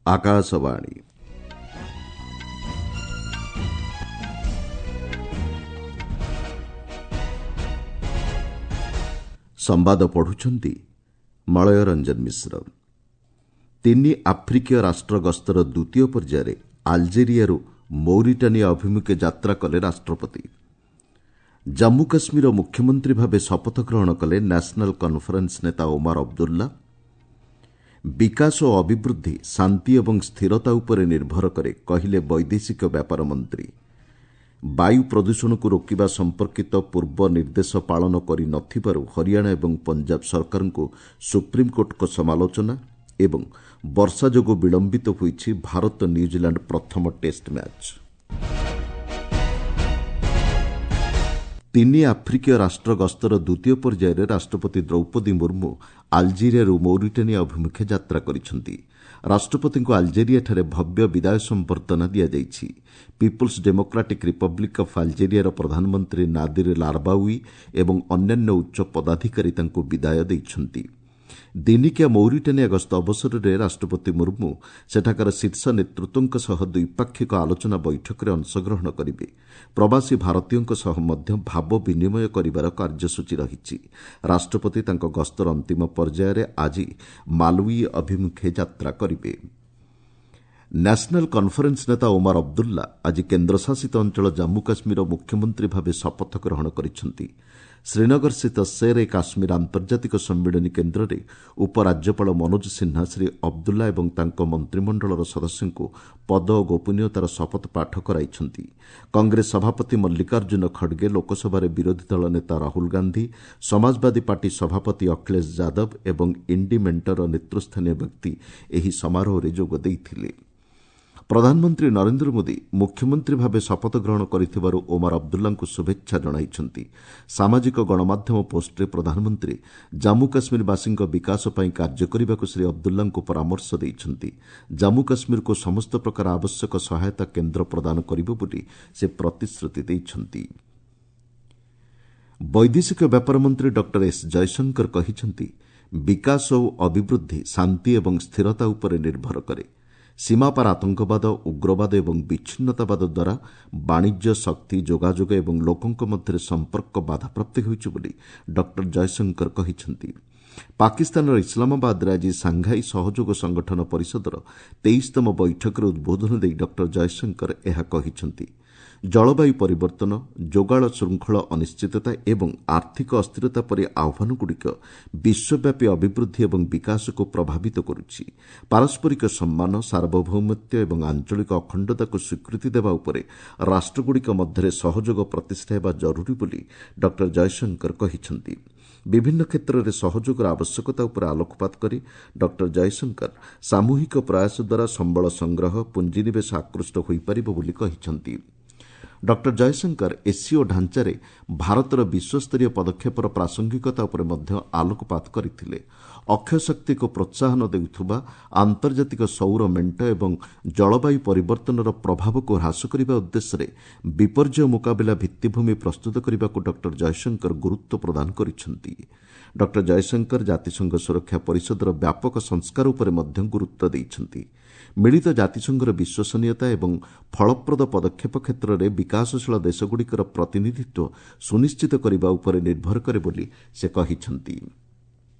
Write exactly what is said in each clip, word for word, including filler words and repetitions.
ଆକାଶବାଣୀ। ସମ୍ବାଦ ପଢୁଛନ୍ତି ମଳୟ ରଞ୍ଜନ ମିଶ୍ର। ତିନି ଆଫ୍ରିକୀୟ ରାଷ୍ଟ୍ର ଗସ୍ତର ଦ୍ୱିତୀୟ ପର୍ଯ୍ୟାୟରେ ଆଲଜେରିଆରୁ ମୌରିଟାନିଆ ଅଭିମୁଖେ ଯାତ୍ରା କଲେ ରାଷ୍ଟ୍ରପତି। ଜାମ୍ମୁ କାଶ୍ମୀରର ମୁଖ୍ୟମନ୍ତ୍ରୀ ଭାବେ ଶପଥ ଗ୍ରହଣ କଲେ ନ୍ୟାସନାଲ୍ କନ୍ଫରେନ୍ସ ନେତା ଓମାର ଅବଦୁଲ୍ଲା। ବିକାଶ ଓ ଅଭିବୃଦ୍ଧି ଶାନ୍ତି ଏବଂ ସ୍ଥିରତା ଉପରେ ନିର୍ଭର କରେ, କହିଲେ ବୈଦେଶିକ ବ୍ୟାପାର ମନ୍ତ୍ରୀ। ବାୟୁ ପ୍ରଦୂଷଣକୁ ରୋକିବା ସମ୍ପର୍କିତ ପୂର୍ବ ନିର୍ଦ୍ଦେଶ ପାଳନ କରି ନ ଥିବାରୁ ହରିୟାଣା ଏବଂ ପଞ୍ଜାବ ସରକାରଙ୍କୁ ସୁପ୍ରିମକୋର୍ଟଙ୍କ ସମାଲୋଚନା ଏବଂ ବର୍ଷା ଯୋଗୁଁ ବିଳମ୍ବିତ ହୋଇଛି ଭାରତ ନ୍ୟୁଜିଲାଣ୍ଡ ପ୍ରଥମ ଟେଷ୍ଟ ମ୍ୟାଚ୍। ତିନି ଆଫ୍ରିକୀୟ ରାଷ୍ଟ୍ର ଗସ୍ତର ଦ୍ୱିତୀୟ ପର୍ଯ୍ୟାୟରେ ରାଷ୍ଟ୍ରପତି ଦ୍ରୌପଦୀ ମୁର୍ମୁ ଆଲଜେରିଆରୁ ମୌରିଟାନିଆ ଅଭିମୁଖେ ଯାତ୍ରା କରିଛନ୍ତି। ରାଷ୍ଟ୍ରପତିଙ୍କୁ ଆଲଜେରିଆଠାରେ ଭବ୍ୟ ବିଦାୟ ସମ୍ବର୍ଦ୍ଧନା ଦିଆଯାଇଛି। ପିପୁଲ୍ସ ଡେମୋକ୍ରାଟିକ୍ ରିପବ୍ଲିକ୍ ଅଫ୍ ଆଲଜେରିଆର ପ୍ରଧାନମନ୍ତ୍ରୀ ନାଦିର ଲାର୍ବାଉଇ ଏବଂ ଅନ୍ୟାନ୍ୟ ଉଚ୍ଚ ପଦାଧିକାରୀ ତାଙ୍କୁ ବିଦାୟ ଦେଇଛନ୍ତି। ଦିନିକିଆ ମୌରିଟାନିଆ ଗସ୍ତ ଅବସରରେ ରାଷ୍ଟ୍ରପତି ମୁର୍ମୁ ସେଠାକାର ଶୀର୍ଷ ନେତୃତ୍ୱଙ୍କ ସହ ଦ୍ୱିପାକ୍ଷିକ ଆଲୋଚନା ବୈଠକରେ ଅଂଶଗ୍ରହଣ କରିବେ। ପ୍ରବାସୀ ଭାରତୀୟଙ୍କ ସହ ମଧ୍ୟ ଭାବ ବିନିମୟ କରିବାର କାର୍ଯ୍ୟସୂଚୀ ରହିଛି। ରାଷ୍ଟ୍ରପତି ତାଙ୍କ ଗସ୍ତର ଅନ୍ତିମ ପର୍ଯ୍ୟାୟରେ ଆଜି ମାଲୱି ଅଭିମୁଖେ ଯାତ୍ରା କରିବେ। ନ୍ୟାସନାଲ୍ କନ୍ଫରେନ୍ସ ନେତା ଓମାର ଅବଦୁଲ୍ଲା ଆଜି କେନ୍ଦ୍ରଶାସିତ ଅଞ୍ଚଳ ଜାମ୍ମୁ କାଶ୍ମୀରର ମୁଖ୍ୟମନ୍ତ୍ରୀ ଭାବେ ଶପଥ ଗ୍ରହଣ କରିଛନ୍ତି। ଶ୍ରୀନଗରସ୍ଥିତ ଶେର୍ ଏ କାଶ୍ମୀର ଆନ୍ତର୍ଜାତିକ ସମ୍ମିଳନୀ କେନ୍ଦ୍ରରେ ଉପରାଜ୍ୟପାଳ ମନୋଜ ସିହ୍ନା ଶ୍ରୀ ଅବଦୁଲ୍ଲା ଏବଂ ତାଙ୍କ ମନ୍ତ୍ରିମଣ୍ଡଳର ସଦସ୍ୟଙ୍କୁ ପଦ ଓ ଗୋପନୀୟତାର ଶପଥ ପାଠ କରାଇଛନ୍ତି। କଂଗ୍ରେସ ସଭାପତି ମଲ୍ଲିକାର୍ଜୁନ ଖଡ୍ଗେ, ଲୋକସଭାରେ ବିରୋଧୀ ଦଳ ନେତା ରାହୁଲ ଗାନ୍ଧି, ସମାଜବାଦୀ ପାର୍ଟି ସଭାପତି ଅଖିଳେଶ ଯାଦବ ଏବଂ ଇଣ୍ଡି ମେଣ୍ଟର ନେତୃସ୍ଥାନୀୟ ବ୍ୟକ୍ତି ଏହି ସମାରୋହରେ ଯୋଗ ଦେଇଥିଲେ। ପ୍ରଧାନମନ୍ତ୍ରୀ ନରେନ୍ଦ୍ର ମୋଦି ମୁଖ୍ୟମନ୍ତ୍ରୀ ଭାବେ ଶପଥ ଗ୍ରହଣ କରିଥିବାରୁ ଓମାର ଅବଦୁଲ୍ଲାଙ୍କୁ ଶୁଭେଚ୍ଛା ଜଣାଇଛନ୍ତି। ସାମାଜିକ ଗଣମାଧ୍ୟମ ପୋଷ୍ଟରେ ପ୍ରଧାନମନ୍ତ୍ରୀ ଜାମ୍ମୁ କାଶ୍ମୀରବାସୀଙ୍କ ବିକାଶ ପାଇଁ କାର୍ଯ୍ୟ କରିବାକୁ ଶ୍ରୀ ଅବଦୁଲ୍ଲାଙ୍କୁ ପରାମର୍ଶ ଦେଇଛନ୍ତି। ଜାମ୍ମୁ କାଶ୍ମୀରକୁ ସମସ୍ତ ପ୍ରକାର ଆବଶ୍ୟକ ସହାୟତା କେନ୍ଦ୍ର ପ୍ରଦାନ କରିବ ବୋଲି ସେ ପ୍ରତିଶ୍ରୁତି ଦେଇଛନ୍ତି। ବୈଦେଶିକ ବ୍ୟାପାର ମନ୍ତ୍ରୀ ଡକ୍ଟର ଏସ୍ ଜୟଶଙ୍କର କହିଛନ୍ତି, ବିକାଶ ଓ ଅଭିବୃଦ୍ଧି ଶାନ୍ତି ଏବଂ ସ୍ଥିରତା ଉପରେ ନିର୍ଭର କରେ। ସୀମାପାର ଆତଙ୍କବାଦ, ଉଗ୍ରବାଦ ଏବଂ ବିଚ୍ଛିନ୍ନତାବାଦ ଦ୍ୱାରା ବାଣିଜ୍ୟ, ଶକ୍ତି, ଯୋଗାଯୋଗ ଏବଂ ଲୋକଙ୍କ ମଧ୍ୟରେ ସମ୍ପର୍କ ବାଧାପ୍ରାପ୍ତ ହେଉଛି ବୋଲି ଡକ୍ଟର ଜୟଶଙ୍କର କହିଛନ୍ତି। ପାକିସ୍ତାନର ଇସଲାମାବାଦରେ ଆଜି ସାଂଘାଇ ସହଯୋଗ ସଂଗଠନ ପରିଷଦର ତେଇଶତମ ବୈଠକରେ ଉଦ୍ବୋଧନ ଦେଇ ଡକ୍ଟର ଜୟଶଙ୍କର ଏହା କହିଛନ୍ତି। ଜଳବାୟୁ ପରିବର୍ତ୍ତନ, ଯୋଗାଣ ଶୃଙ୍ଖଳ ଅନିଶ୍ଚିତତା ଏବଂ ଆର୍ଥିକ ଅସ୍ଥିରତା ପରି ଆହ୍ୱାନଗୁଡ଼ିକ ବିଶ୍ୱବ୍ୟାପୀ ଅଭିବୃଦ୍ଧି ଏବଂ ବିକାଶକୁ ପ୍ରଭାବିତ କରୁଛି। ପାରସ୍ପରିକ ସମ୍ମାନ, ସାର୍ବଭୌମତ୍ୱ ଏବଂ ଆଞ୍ଚଳିକ ଅଖଣ୍ଡତାକୁ ସ୍ୱୀକୃତି ଦେବା ଉପରେ ରାଷ୍ଟ୍ରଗୁଡ଼ିକ ମଧ୍ୟରେ ସହଯୋଗ ପ୍ରତିଷ୍ଠା ହେବା ଜରୁରୀ ବୋଲି ଡକ୍ଟର ଜୟଶଙ୍କର କହିଛନ୍ତି। ବିଭିନ୍ନ କ୍ଷେତ୍ରରେ ସହଯୋଗର ଆବଶ୍ୟକତା ଉପରେ ଆଲୋକପାତ କରି ଡକ୍ଟର ଜୟଶଙ୍କର ସାମୂହିକ ପ୍ରୟାସ ଦ୍ୱାରା ସମ୍ବଳ ସଂଗ୍ରହ, ପୁଞ୍ଜିନିବେଶ ଆକୃଷ୍ଟ ହୋଇପାରିବ ବୋଲି କହିଛନ୍ତି। ଡକ୍ଟର ଜୟଶଙ୍କର ଏସ୍ସିଓ ଢାଞ୍ଚାରେ ଭାରତର ବିଶ୍ୱସ୍ତରୀୟ ପଦକ୍ଷେପର ପ୍ରାସଙ୍ଗିକତା ଉପରେ ମଧ୍ୟ ଆଲୋକପାତ କରିଥିଲେ। ଅକ୍ଷୟ ଶକ୍ତିକୁ ପ୍ରୋତ୍ସାହନ ଦେଉଥିବା ଆନ୍ତର୍ଜାତିକ ସୌର ମେଣ୍ଟ ଏବଂ ଜଳବାୟୁ ପରିବର୍ତ୍ତନର ପ୍ରଭାବକୁ ହ୍ରାସ କରିବା ଉଦ୍ଦେଶ୍ୟରେ ବିପର୍ଯ୍ୟୟ ମୁକାବିଲା ଭିତ୍ତିଭୂମି ପ୍ରସ୍ତୁତ କରିବାକୁ ଡକ୍ଟର ଜୟଶଙ୍କର ଗୁରୁତ୍ୱ ପ୍ରଦାନ କରିଛନ୍ତି। ଡକ୍ଟର ଜୟଶଙ୍କର ଜାତିସଂଘ ସୁରକ୍ଷା ପରିଷଦର ବ୍ୟାପକ ସଂସ୍କାର ଉପରେ ମଧ୍ୟ ଗୁରୁତ୍ୱ ଦେଇଛନ୍ତି। ମିଳିତ ଜାତିସଂଘର ବିଶ୍ୱସନୀୟତା ଏବଂ ଫଳପ୍ରଦ ପଦକ୍ଷେପ କ୍ଷେତ୍ରରେ ବିକାଶଶୀଳ ଦେଶଗୁଡ଼ିକର ପ୍ରତିନିଧିତ୍ୱ ସୁନିଶ୍ଚିତ କରିବା ଉପରେ ନିର୍ଭର କରେ ବୋଲି ସେ କହିଛନ୍ତି।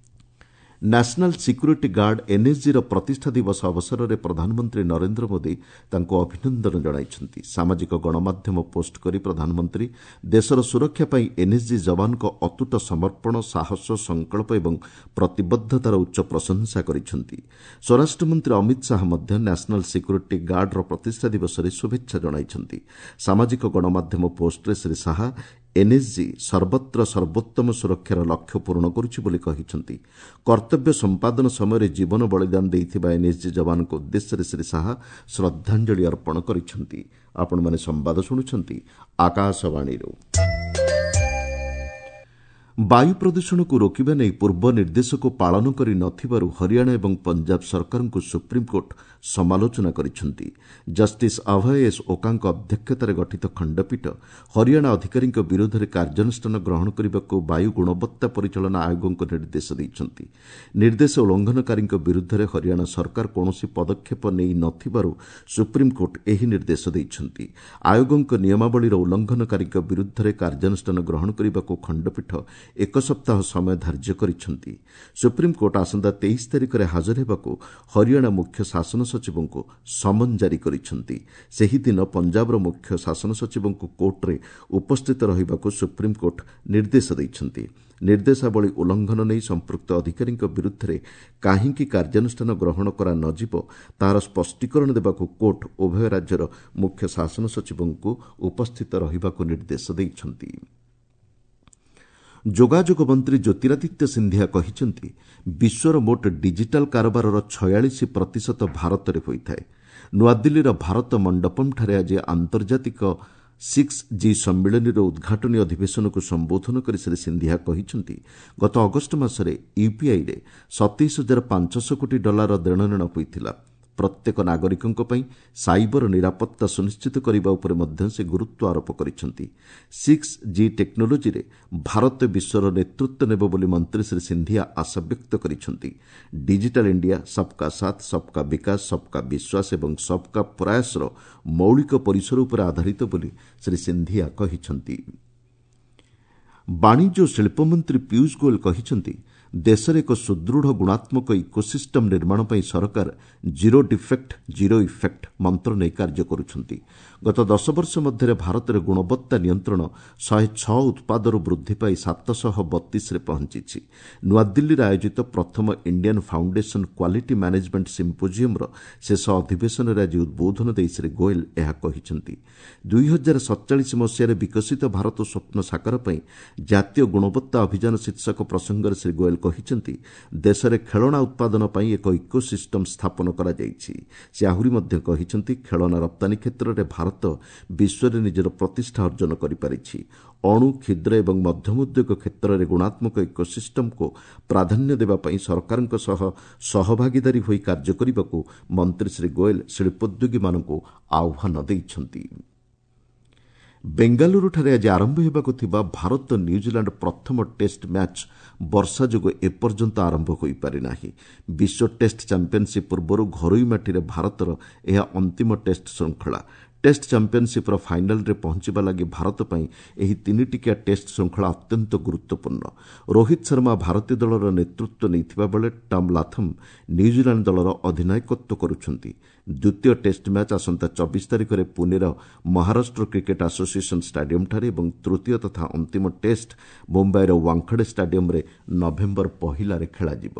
ନ୍ୟାସନାଲ୍ ସିକ୍ୟୁରିଟି ଗାର୍ଡ ଏନ୍ଏସ୍ଜିର ପ୍ରତିଷ୍ଠା ଦିବସ ଅବସରରେ ପ୍ରଧାନମନ୍ତ୍ରୀ ନରେନ୍ଦ୍ର ମୋଦି ତାଙ୍କୁ ଅଭିନନ୍ଦନ ଜଣାଇଛନ୍ତି। ସାମାଜିକ ଗଣମାଧ୍ୟମ ପୋଷ୍ଟ କରି ପ୍ରଧାନମନ୍ତ୍ରୀ ଦେଶର ସୁରକ୍ଷା ପାଇଁ ଏନ୍ଏସ୍ଜି ଯବାନଙ୍କ ଅତୁଟ ସମର୍ପଣ, ସାହସ, ସଂକଳ୍ପ ଏବଂ ପ୍ରତିବଦ୍ଧତାର ଉଚ୍ଚ ପ୍ରଶଂସା କରିଛନ୍ତି। ସ୍ୱରାଷ୍ଟ୍ରମନ୍ତ୍ରୀ ଅମିତ ଶାହା ମଧ୍ୟ ନ୍ୟାସନାଲ୍ ସିକ୍ୟୁରିଟି ଗାର୍ଡର ପ୍ରତିଷ୍ଠା ଦିବସରେ ଶୁଭେଚ୍ଛା ଜଣାଇଛନ୍ତି। ସାମାଜିକ ଗଣମାଧ୍ୟମ ପୋଷ୍ଟରେ ଶ୍ରୀ ଶାହା ଏନ୍ଏସ୍ଜି ସର୍ବତ୍ର ସର୍ବୋତ୍ତମ ସୁରକ୍ଷାର ଲକ୍ଷ୍ୟ ପୂରଣ କରୁଛି ବୋଲି କହିଛନ୍ତି। କର୍ତ୍ତବ୍ୟ ସମ୍ପାଦନ ସମୟରେ ଜୀବନ ବଳିଦାନ ଦେଇଥିବା ଏନ୍ଏସ୍ଜି ଯବାନଙ୍କ ଉଦ୍ଦେଶ୍ୟରେ ଶ୍ରୀ ଶାହା ଶ୍ରଦ୍ଧାଞ୍ଜଳି ଅର୍ପଣ କରିଛନ୍ତି। ଆପଣମାନେ ସମ୍ବାଦ ଶୁଣୁଛନ୍ତି ଆକାଶବାଣୀରୁ। ବାୟୁ ପ୍ରଦୂଷଣକୁ ରୋକିବା ନେଇ ପୂର୍ବ ନିର୍ଦ୍ଦେଶକୁ ପାଳନ କରି ନଥିବାରୁ ହରିୟାଣା ଏବଂ ପଞ୍ଜାବ ସରକାରଙ୍କୁ ସୁପ୍ରିମକୋର୍ଟ ସମାଲୋଚନା କରିଛନ୍ତି। ଜଷ୍ଟିସ୍ ଅଭୟ ଏସ୍ ଓକାଙ୍କ ଅଧ୍ୟକ୍ଷତାରେ ଗଠିତ ଖଣ୍ଡପୀଠ ହରିୟାଣା ଅଧିକାରୀଙ୍କ ବିରୋଧରେ କାର୍ଯ୍ୟାନୁଷ୍ଠାନ ଗ୍ରହଣ କରିବାକୁ ବାୟୁ ଗୁଣବତ୍ତା ପରିଚାଳନା ଆୟୋଗଙ୍କୁ ନିର୍ଦ୍ଦେଶ ଦେଇଛନ୍ତି। ନିର୍ଦ୍ଦେଶ ଉଲ୍ଲଂଘନକାରୀଙ୍କ ବିରୁଦ୍ଧରେ ହରିୟାଣା ସରକାର କୌଣସି ପଦକ୍ଷେପ ନେଇ ନଥିବାରୁ ସୁପ୍ରିମକୋର୍ଟ ଏହି ନିର୍ଦ୍ଦେଶ ଦେଇଛନ୍ତି। ଆୟୋଗଙ୍କ ନିୟମାବଳୀର ଉଲ୍ଲଂଘନକାରୀଙ୍କ ବିରୁଦ୍ଧରେ କାର୍ଯ୍ୟାନୁଷ୍ଠାନ ଗ୍ରହଣ କରିବାକୁ ଖଣ୍ଡପୀଠ ଏକ ସପ୍ତାହ ସମୟ ଧାର୍ଯ୍ୟ କରିଛନ୍ତି। ସୁପ୍ରିମକୋର୍ଟ ଆସନ୍ତା ତେଇଶ ତାରିଖରେ ହାଜର ହେବାକୁ ହରିୟାଣା ମୁଖ୍ୟ ଶାସନ ସଚିବଙ୍କୁ ସମନ ଜାରି କରିଛନ୍ତି। ସେହିଦିନ ପଞ୍ଜାବର ମୁଖ୍ୟ ଶାସନ ସଚିବଙ୍କୁ କୋର୍ଟରେ ଉପସ୍ଥିତ ରହିବାକୁ ସୁପ୍ରିମକୋର୍ଟ ନିର୍ଦ୍ଦେଶ ଦେଇଛନ୍ତି। ନିର୍ଦ୍ଦେଶାବଳୀ ଉଲ୍ଲଂଘନ ନେଇ ସମ୍ପୃକ୍ତ ଅଧିକାରୀଙ୍କ ବିରୁଦ୍ଧରେ କାହିଁକି କାର୍ଯ୍ୟାନୁଷ୍ଠାନ ଗ୍ରହଣ କରା ନଯିବ ତାହାର ସ୍ପଷ୍ଟୀକରଣ ଦେବାକୁ କୋର୍ଟ ଉଭୟ ରାଜ୍ୟର ମୁଖ୍ୟ ଶାସନ ସଚିବଙ୍କୁ ଉପସ୍ଥିତ ରହିବାକୁ ନିର୍ଦ୍ଦେଶ ଦେଇଛନ୍ତି। ଯୋଗାଯୋଗ ମନ୍ତ୍ରୀ ଜ୍ୟୋତିରାଦିତ୍ୟ ସିନ୍ଧିଆ କହିଛନ୍ତି, ବିଶ୍ୱର ମୋଟ ଡିଜିଟାଲ୍ କାରବାରର ଛୟାଳିଶ ପ୍ରତିଶତ ଭାରତରେ ହୋଇଥାଏ। ନୂଆଦିଲ୍ଲୀର ଭାରତ ମଣ୍ଡପମ୍ଠାରେ ଆଜି ଆନ୍ତର୍ଜାତିକ ସିକ୍ସ ଜି ସମ୍ମିଳନୀର ଉଦ୍ଘାଟନୀ ଅଧିବେଶନକୁ ସମ୍ବୋଧନ କରି ଶ୍ରୀ ସିନ୍ଧିଆ କହିଛନ୍ତି, ଗତ ଅଗଷ୍ଟ ମାସରେ ୟୁପିଆଇରେ ସତେଇଶ ହଜାର ପାଞ୍ଚଶହ କୋଟି ଡଲାରର ଦେଣନେଣ ହୋଇଥିଲା। ପ୍ରତ୍ୟେକ ନାଗରିକଙ୍କ ପାଇଁ ସାଇବର ନିରାପତ୍ତା ସୁନିଶ୍ଚିତ କରିବା ଉପରେ ମଧ୍ୟ ସେ ଗୁରୁତ୍ୱ ଆରୋପ କରିଛନ୍ତି। ସିକ୍ସ ଜି ଟେକ୍ନୋଲୋଜିରେ ଭାରତ ବିଶ୍ୱର ନେତୃତ୍ୱ ନେବ ବୋଲି ମନ୍ତ୍ରୀ ଶ୍ରୀ ସିନ୍ଧିଆ ଆଶାବ୍ୟକ୍ତ କରିଛନ୍ତି। ଡିଜିଟାଲ୍ ଇଣ୍ଡିଆ ସବ୍କା ସାଥ୍, ସବ୍କା ବିକାଶ, ସବ୍କା ବିଶ୍ୱାସ ଏବଂ ସବ୍କା ପ୍ରୟାସର ମୌଳିକ ପରିସର ଉପରେ ଆଧାରିତ ବୋଲି ଶ୍ରୀ ସିନ୍ଧିଆ କହିଛନ୍ତି। ବାଣିଜ୍ୟ ଓ ଶିଳ୍ପମନ୍ତ୍ରୀ ପୀୟୁଷ ଗୋଏଲ କହିଛନ୍ତି, ଦେଶରେ ଏକ ସୁଦୃଢ଼ ଗୁଣାତ୍ମକ ଇକୋସିଷ୍ଟମ୍ ନିର୍ମାଣ ପାଇଁ ସରକାର ଜିରୋ ଡିଫେକ୍ଟ ଜିରୋ ଇଫେକ୍ଟ ମନ୍ତ୍ର ନେଇ କାର୍ଯ୍ୟ କରୁଛନ୍ତି। ଗତ ଦଶ ବର୍ଷ ମଧ୍ୟରେ ଭାରତରେ ଗୁଣବତ୍ତା ନିୟନ୍ତ୍ରଣ ଶହେ ଛଅ ଉତ୍ପାଦରୁ ବୃଦ୍ଧି ପାଇ ସାତଶହ ବତିଶରେ ପହଞ୍ଚିଛି। ନୂଆଦିଲ୍ଲୀରେ ଆୟୋଜିତ ପ୍ରଥମ ଇଣ୍ଡିଆନ୍ ଫାଉଣ୍ଡେସନ୍ କ୍ୱାଲିଟି ମ୍ୟାନେଜମେଣ୍ଟ ସିମ୍ପୋଜିୟମ୍ର ଶେଷ ଅଧିବେଶନରେ ଆଜି ଉଦ୍ବୋଧନ ଦେଇ ଶ୍ରୀ ଗୋଏଲ ଏହା କହିଛନ୍ତି। ଦୁଇ ହଜାର ସତଚାଳିଶ ମସିହାରେ ବିକଶିତ ଭାରତ ସ୍ୱପ୍ନ ସାକାର ପାଇଁ ଜାତୀୟ ଗୁଣବତ୍ତା ଅଭିଯାନ ଶୀର୍ଷକ ପ୍ରସଙ୍ଗରେ ଶ୍ରୀ ଗୋଏଲ କହିଛନ୍ତି, ଦେଶରେ ଖେଳଣା ଉତ୍ପାଦନ ପାଇଁ ଏକ ଇକୋସିଷ୍ଟମ୍ ସ୍ଥାପନ କରାଯାଇଛି। ସେ ଆହୁରି ମଧ୍ୟ କହିଛନ୍ତି, ଖେଳଣା ରପ୍ତାନୀ କ୍ଷେତ୍ରରେ ଭାରତ ବିଶ୍ୱରେ ନିଜର ପ୍ରତିଷ୍ଠା ଅର୍ଜନ କରିପାରିଛି। ଅଣୁ, କ୍ଷୁଦ୍ର ଏବଂ ମଧ୍ୟମ ଉଦ୍ୟୋଗ କ୍ଷେତ୍ରରେ ଗୁଣାତ୍ମକ ଇକୋସିଷ୍ଟମ୍କୁ ପ୍ରାଧାନ୍ୟ ଦେବା ପାଇଁ ସରକାରଙ୍କ ସହ ସହଭାଗିଦାରୀ ହୋଇ କାର୍ଯ୍ୟ କରିବାକୁ ମନ୍ତ୍ରୀ ଶ୍ରୀ ଗୋଏଲ ଶିଳ୍ପୋଦ୍ୟୋଗୀମାନଙ୍କୁ ଆହ୍ୱାନ ଦେଇଛନ୍ତି। ବେଙ୍ଗାଲୁରୁଠାରେ ଆଜି ଆରମ୍ଭ ହେବାକୁ ଥିବା ଭାରତ ନ୍ୟୁଜିଲାଣ୍ଡ ପ୍ରଥମ ଟେଷ୍ଟ ମ୍ୟାଚ୍ ବର୍ଷା ଯୋଗୁଁ ଏପର୍ଯ୍ୟନ୍ତ ଆରମ୍ଭ ହୋଇପାରିନାହିଁ। ବିଶ୍ୱ ଟେଷ୍ଟ ଚାମ୍ପିୟନସିପ୍ ପୂର୍ବରୁ ଘରୋଇ ମାଟିରେ ଭାରତର ଏହା ଅନ୍ତିମ ଟେଷ୍ଟ ଶୃଙ୍ଖଳା। ଟେଷ୍ଟ ଚାମ୍ପିୟନସିପ୍ର ଫାଇନାଲ୍ରେ ପହଞ୍ଚିବା ଲାଗି ଭାରତ ପାଇଁ ଏହି ତିନିଟିକିଆ ଟେଷ୍ଟ ଶୃଙ୍ଖଳା ଅତ୍ୟନ୍ତ ଗୁରୁତ୍ୱପୂର୍ଣ୍ଣ। ରୋହିତ ଶର୍ମା ଭାରତୀୟ ଦଳର ନେତୃତ୍ୱ ନେଇଥିବା ବେଳେ ଟମ୍ ଲାଥମ୍ ନ୍ୟୁଜିଲାଣ୍ଡ ଦଳର ଅଧିନାୟକତ୍ୱ କରୁଛନ୍ତି। ଦ୍ୱିତୀୟ ଟେଷ୍ଟ ମ୍ୟାଚ୍ ଆସନ୍ତା ଚବିଶ ତାରିଖରେ ପୁନେର ମହାରାଷ୍ଟ୍ର କ୍ରିକେଟ୍ ଆସୋସିଏସନ୍ ଷ୍ଟାଡିୟମ୍ଠାରେ ଏବଂ ତୃତୀୟ ତଥା ଅନ୍ତିମ ଟେଷ୍ଟ ମୁମ୍ବାଇର ୱାଙ୍ଖଡେ ଷ୍ଟାଡିୟମ୍ରେ ନଭେମ୍ବର ପହିଲାରେ ଖେଳାଯିବ।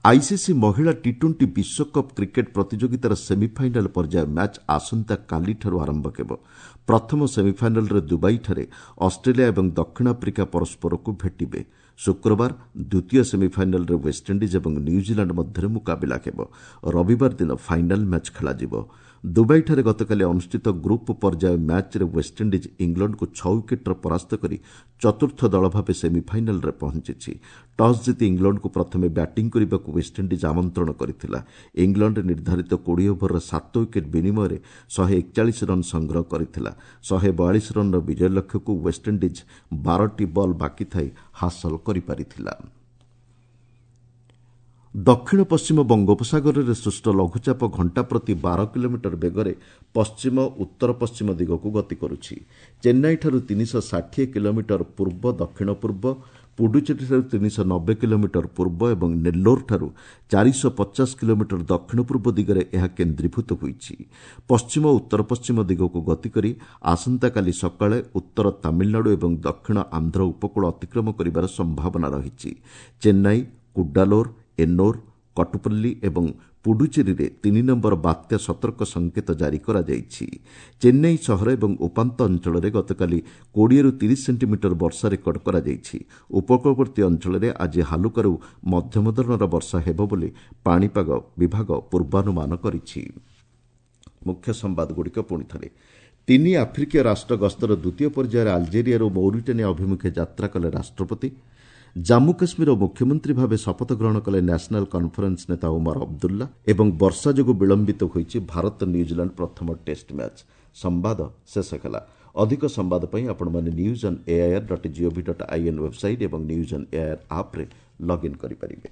ଆଇସିସି ମହିଳା ଟି ଟ୍ୱେଣ୍ଟି ବିଶ୍ୱକପ୍ କ୍ରିକେଟ୍ ପ୍ରତିଯୋଗିତାର ସେମିଫାଇନାଲ୍ ପର୍ଯ୍ୟାୟ ମ୍ୟାଚ୍ ଆସନ୍ତାକାଲିଠାରୁ ଆରମ୍ଭ ହେବ। ପ୍ରଥମ ସେମିଫାଇନାଲ୍ରେ ଦୁବାଇଠାରେ ଅଷ୍ଟ୍ରେଲିଆ ଏବଂ ଦକ୍ଷିଣ ଆଫ୍ରିକା ପରସ୍ପରକୁ ଭେଟିବେ। ଶୁକ୍ରବାର ଦ୍ୱିତୀୟ ସେମିଫାଇନାଲ୍ରେ ୱେଷ୍ଟଇଣ୍ଡିଜ୍ ଏବଂ ନ୍ୟୁଜିଲାଣ୍ଡ ମଧ୍ୟରେ ମୁକାବିଲା ହେବ। ରବିବାର ଦିନ ଫାଇନାଲ୍ ମ୍ୟାଚ୍ ଖେଳାଯିବ। ଦୁବାଇଠାରେ ଗତକାଲି ଅନୁଷ୍ଠିତ ଗ୍ରୁପ୍ ପର୍ଯ୍ୟାୟ ମ୍ୟାଚ୍ରେ ୱେଷ୍ଟଇଣ୍ଡିଜ୍ ଇଂଲଣ୍ଡକୁ ଛଅ ୱିକେଟ୍ରେ ପରାସ୍ତ କରି ଚତୁର୍ଥ ଦଳ ଭାବେ ସେମିଫାଇନାଲ୍ରେ ପହଞ୍ଚିଛି। ଟସ୍ ଜିତି ଇଂଲଣ୍ଡକୁ ପ୍ରଥମେ ବ୍ୟାଟିଂ କରିବାକୁ ୱେଷ୍ଟଇଣ୍ଡିଜ୍ ଆମନ୍ତ୍ରଣ କରିଥିଲା। ଇଂଲଣ୍ଡ ନିର୍ଦ୍ଧାରିତ କୋଡ଼ିଏ ଓଭରରେ ସାତ ୱିକେଟ୍ ବିନିମୟରେ ଶହେ ଏକଚାଳିଶ ରନ୍ ସଂଗ୍ରହ କରିଥିଲା। ଶହେ ବୟାଳିଶ ରନ୍ର ବିଜୟ ଲକ୍ଷ୍ୟକୁ ୱେଷ୍ଟଇଣ୍ଡିଜ୍ ବାରଟି ବଲ୍ ବାକି ଥାଇ ହାସଲ କରିପାରିଥିଲା। ଦକ୍ଷିଣ ପଶ୍ଚିମ ବଙ୍ଗୋପସାଗରରେ ସୃଷ୍ଟ ଲଘୁଚାପ ଘଣ୍ଟା ପ୍ରତି ବାର କିଲୋମିଟର ବେଗରେ ପଶ୍ଚିମ ଉତ୍ତର ପଶ୍ଚିମ ଦିଗକୁ ଗତି କରୁଛି। ଚେନ୍ନାଇଠାରୁ ତିନିଶହ ଷାଠିଏ କିଲୋମିଟର ପୂର୍ବ ଦକ୍ଷିଣ ପୂର୍ବ, ପୁଡୁଚେରୀଠାରୁ ତିନିଶହ ନବେ କିଲୋମିଟର ପୂର୍ବ ଏବଂ ନେଲ୍ଲୋରଠାରୁ ଚାରିଶହ ପଚାଶ କିଲୋମିଟର ଦକ୍ଷିଣ ପୂର୍ବ ଦିଗରେ ଏହା କେନ୍ଦ୍ରୀଭୂତ ହୋଇଛି। ପଶ୍ଚିମ ଉତ୍ତର ପଶ୍ଚିମ ଦିଗକୁ ଗତି କରି ଆସନ୍ତାକାଲି ସକାଳେ ଉତ୍ତର ତାମିଲନାଡୁ ଏବଂ ଦକ୍ଷିଣ ଆନ୍ଧ୍ର ଉପକୂଳ ଅତିକ୍ରମ କରିବାର ସମ୍ଭାବନା ରହିଛି। ଚେନ୍ନାଇ, କୁଡ୍ଡାଲୋର, ଏନ୍ନୋର, କଟୁପଲ୍ଲୀ ଏବଂ ପୁଡୁଚେରୀରେ ତିନି ନମ୍ବର ବାତ୍ୟା ସତର୍କ ସଂକେତ ଜାରି କରାଯାଇଛି। ଚେନ୍ନାଇ ସହର ଏବଂ ଉପାନ୍ତ ଅଞ୍ଚଳରେ ଗତକାଲି କୋଡ଼ିଏରୁ ତିରିଶ ସେଣ୍ଟିମିଟର ବର୍ଷା ରେକର୍ଡ କରାଯାଇଛି। ଉପକୂଳବର୍ତ୍ତୀ ଅଞ୍ଚଳରେ ଆଜି ହାଲୁକାରୁ ମଧ୍ୟମ ଧରଣର ବର୍ଷା ହେବ ବୋଲି ପାଣିପାଗ ବିଭାଗ ପୂର୍ବାନୁମାନ କରିଛି। ମୁଖ୍ୟ ସମ୍ବାଦଗୁଡ଼ିକ ପୁଣିଥରେ। ତିନି ଆଫ୍ରିକୀୟ ରାଷ୍ଟ୍ର ଗସ୍ତର ଦ୍ୱିତୀୟ ପର୍ଯ୍ୟାୟରେ ଆଲଜେରିଆରୁ ମୌରିଟାନିଆ ଅଭିମୁଖେ ଯାତ୍ରା କଲେ ରାଷ୍ଟ୍ରପତି। ଜାମ୍ମୁ କାଶ୍ମୀରର ମୁଖ୍ୟମନ୍ତ୍ରୀ ଭାବେ ଶପଥ ଗ୍ରହଣ କଲେ ନ୍ୟାସନାଲ୍ କନ୍ଫରେନ୍ସ ନେତା ଓମାର ଅବଦୁଲ୍ଲା। ଏବଂ ବର୍ଷା ଯୋଗୁଁ ବିଳମ୍ବିତ ହୋଇଛି ଭାରତ ନ୍ୟୁଜିଲାଣ୍ଡ ପ୍ରଥମ ଟେଷ୍ଟ ମ୍ୟାଚ୍। ସମ୍ବାଦ ଶେଷ ହେଲା। ଅଧିକ ସମ୍ବାଦ ପାଇଁ ଆପଣମାନେ news on AIR dot GOV dot IN website ଏବଂ ନ୍ୟୁଜ୍ ଅନ୍ ଏଆଇଆର୍ ଆପ୍ରେ ଲଗ୍ଇନ୍ କରିପାରିବେ।